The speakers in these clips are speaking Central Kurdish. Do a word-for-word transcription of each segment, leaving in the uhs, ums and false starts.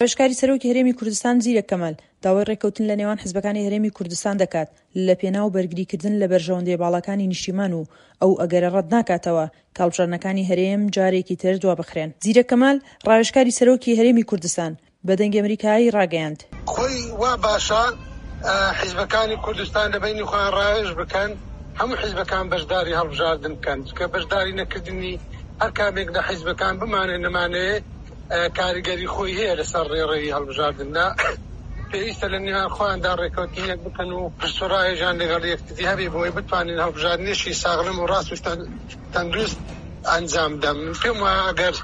ڕاوێژکاری سەرۆکی هەرێمی کوردستان زیرەک کەمال داوای ڕێککەوتن لە نێوان حزبەکانی هەرێمی کوردستان دەکات لە پێناو بەرگریکردن لە بەرژەوەندییە باڵاکانی نیشتیمان و ئەو ئەگەرە ڕەت ناکاتەوە کە هەڵبژاردنەکانی هەرێم جارێکی تر دوابخرێن. زیرەک کەمال، ڕاوێژکاری سەرۆکی هەرێمی کوردستان بە دەنگی ئەمریکای ڕاگەیاند. خۆی وا باشە حیزبەکانی کوردستان لە بەینی خۆیان ڕاوێژ بکەن، هەموو حیزبەکان بەشداری هەڵبژاردن بکەن، چونکە بەشداری نەکردنی هەر کامێک لە حیزبەکان بمانێ نەمانەوێ کاریگەری خۆی هەیە لەسەر ڕێڕەوی هەڵبژاردندا. پێویستە لە نێوان خۆیاندا ڕێککەوتنێک بکەن و پرس و ڕاوێژیان لەگەڵ یەکتری هەبێ بۆی بتوانین هەڵبژاردنێکی ساغلم و ڕاست و تەندروست ئەنجام بدەن. من پێم وایە ئەگەر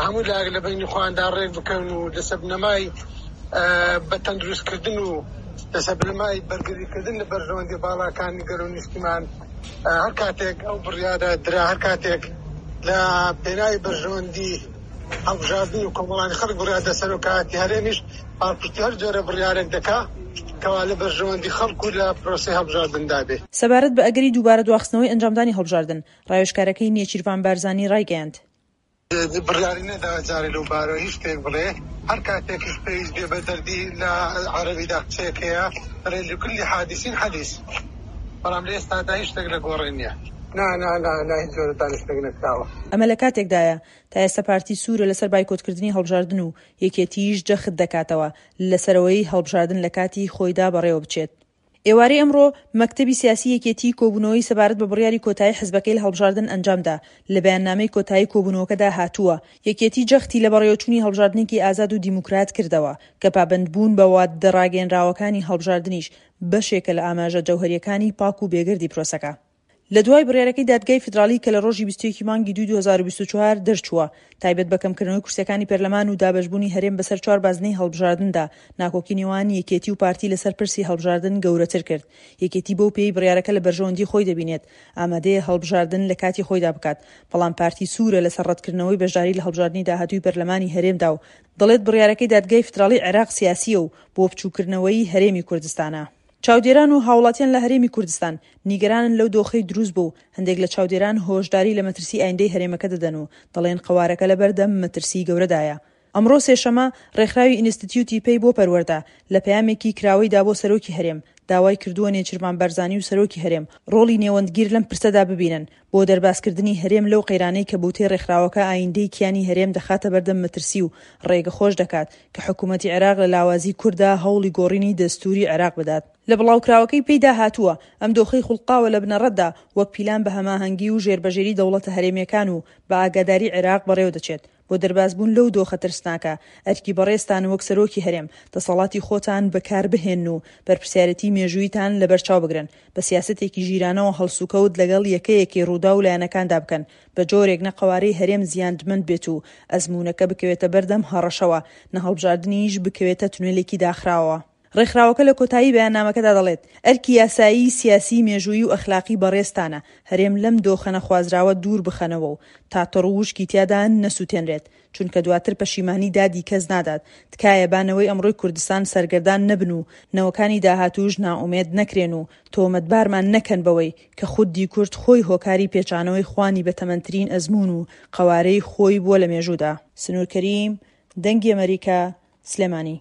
هەموو لایەک لە بەینی خۆیاندا ڕێک بکەون و لەسەر بنەمای بە تەندروستکردن و لەسەر بنەمای بەرگریکردن لە بەرژەوەندی باڵاکانی گەل و نیشتیمان، هەر کاتێک ئەو بڕیارە درا، هەر کاتێک لە پێناوی بەرژەوەندی هەڵبژاردن و کۆمەڵانی خەڵک بڕیار دە، سەرۆکایەتی هەرێمیش پاڵپشتی هەر جۆرە بڕیارێک دەکا کەوا لە بەرژەوەندی خەڵک و لە پرۆسەی هەڵبژاردندا بێ. سەبارەت بە ئەگەری دووبارە دواخستنەوەی ئەنجامدانی هەڵبژاردن، ڕاوێژکارەکەی نێچیرڤان بارزانی ڕایگەیاند، بڕیاری نەداوە جارێ لەو بارەوە هیچ شتێک بڵێ، هەر کاتێکیش پێویست بێ بە دەردی لە عەرەبیدا قسەیەک هەیە دەڵێ لکل حادث حدیث، بەڵام لە ئێستادا هیچ شتێک لە گۆڕێ نییە. نا نا نا نا هیچ جۆرە دانیشتنێک نەکراوە. ئەمە لە کاتێکدایە تا ئێستا پارتی سوورە لەسەر بایکۆتکردنی هەڵبژاردن و یەکێتیش جەخت دەکاتەوە لەسەر ئەوەی هەڵبژاردن لە کاتی خۆیدا بەڕێوەبچێت. ئێوارەی ئەمڕۆ مەکتەبی سیاسی یەکێتیی کۆبوونەوەی سەبارەت بە بڕیاری کۆتایی حزبەکەی لە هەڵبژاردن ئەنجامدا، لە بەیاننامەی کۆتایی کۆبوونەوەکەدا هاتووە، یەکێتی جەختی لە بەڕێوەچوونی هەڵبژاردنێکی ئازاد و دیموکرات کردەوە، کە پابەندبوون بە وادە ڕاگەیەنراوەکانی هەڵبژاردنیش بەشێکە لە ئاماژە جەوهەرییەکانی پاک و بێگەردی پرۆسەکە. لە دوای بڕیارەکەی دادگای فیدراڵی کە لە ڕۆژی بیست و یەک ی مانگی دووی دوو هەزار و بیست و چوار دەرچووە تایبەت بە کەمکردنەوەی کورسیەکانی پەرلەمان و دابەشبوونی هەرێم بەسەر چوار بازنەی هەڵبژاردندا ناکۆکی نێوان یەکێتی و پارتی لەسەر پرسی هەڵبژاردن گەورەتر کرد. یەکێتی بەو پێیەی بڕیارەکە لە بەرژەوەندی خۆی دەبینێت ئامادەیە هەڵبژاردن لە کاتی خۆیدا بکات، بەڵام پارتی سوورە لەسەر ڕەتکردنەوەی بەشداری لە هەڵبژاردنی داهاتووی پەرلەمانی هەرێمدا و دەڵێت بڕیارەکەی دادگای فیدراڵی عێراق سیاسییە و بۆ بچووککردنەوەی هەرێمی کوردستانە. چاودێران و هاوڵاتیان لە هەرێمی کوردستان نیگەرانن لەو دۆخەی دروست بوو و هەندێک لە چاودێران هۆشداری لە مەترسی ئایندەی هەرێمەکە دەدەن و دەڵێن قەوارەکە لەبەردەم مەترسی گەورەدایە. ئەمڕۆ سێشەمە ڕێکخراوی ئینستتیوتی پەی بۆ پەروەردە لە پەیامێکی کراوەیدا بۆ سەرۆکی هەرێم داوای کردووە نێچیرڤان بارزانی و سەرۆکی هەرێم ڕۆڵی نێوەندگیر لەم پرسەدا ببینن بۆ دەربازکردنی هەرێم لەو قەیرانەی کە بەوتەی ڕێکخراوەکە ئایندەی کیانی هەرێم دەخاتە بەردەم مەترسی و ڕێگە خۆش دەکات کە حکومەتی عێراق لە لاوازی کورددا هەوڵی گۆڕینی دەستوری عێراق بدات. لە بڵاوکراوەکەی پێیدا هاتووە، ئەم دۆخەی خوڵقاوە لە بنەڕەتدا وەک پیلان بە هەماهەنگی و ژێربەژێری دەوڵەتە هەرێمییەکان و بە ئاگاداری عێراق بەڕێوەدەچێت. بۆ دەربازبوون لەو دۆخە ترسناکە، ئەرکی بەڕێزتان وەک سەرۆکی هەرێم، دەسەڵاتی خۆتان بەکاربهێنن و بەرپرسیارێتی مێژووییتان لەبەرچاو بگرن، بە سیاسەتێکی ژیرانەوە هەڵسوکەوت لەگەڵ یەکەیەکەی ڕووداو و لایەنەکاندا بکەن، بە جۆرێک نە قەوارەی هەرێم زیاندمەند بێت و ئەزموونەکە بکەوێتە بەردەم هەڕەشەوە، نە هەڵبژاردنیش بکەوێتە تونێلێکی داخراوەوە. ڕێکخراوەکە لە کۆتایی بەیاننامەکەدا دەڵێت، ئەرکی یاسایی، سیاسی، مێژوویی و ئەخلاقی بەڕێزتانە هەرێم لەم دۆخە نەخوازراوە دوور بخەنەوە و تا تەڕ و وشکی تیادا نەسوتێنرێت، چونکە دواتر پەشیمانی دادی کەس نادات، تکایە با نەوەی ئەمڕۆی کوردستان سەرگەردان نەبن و نەوەکانی داهاتووش نائومێد نەکرێن و تۆمەتبارمان نەکەن بەوەی کە خودی کورد خۆی هۆکاری پێچانەوەی خوانی بەتەمەنترین ئەزموون و قەوارەی خۆی بووە لە مێژوودا. سنوور کەریم، دەنگی ئەمەریکا، سلێمانی.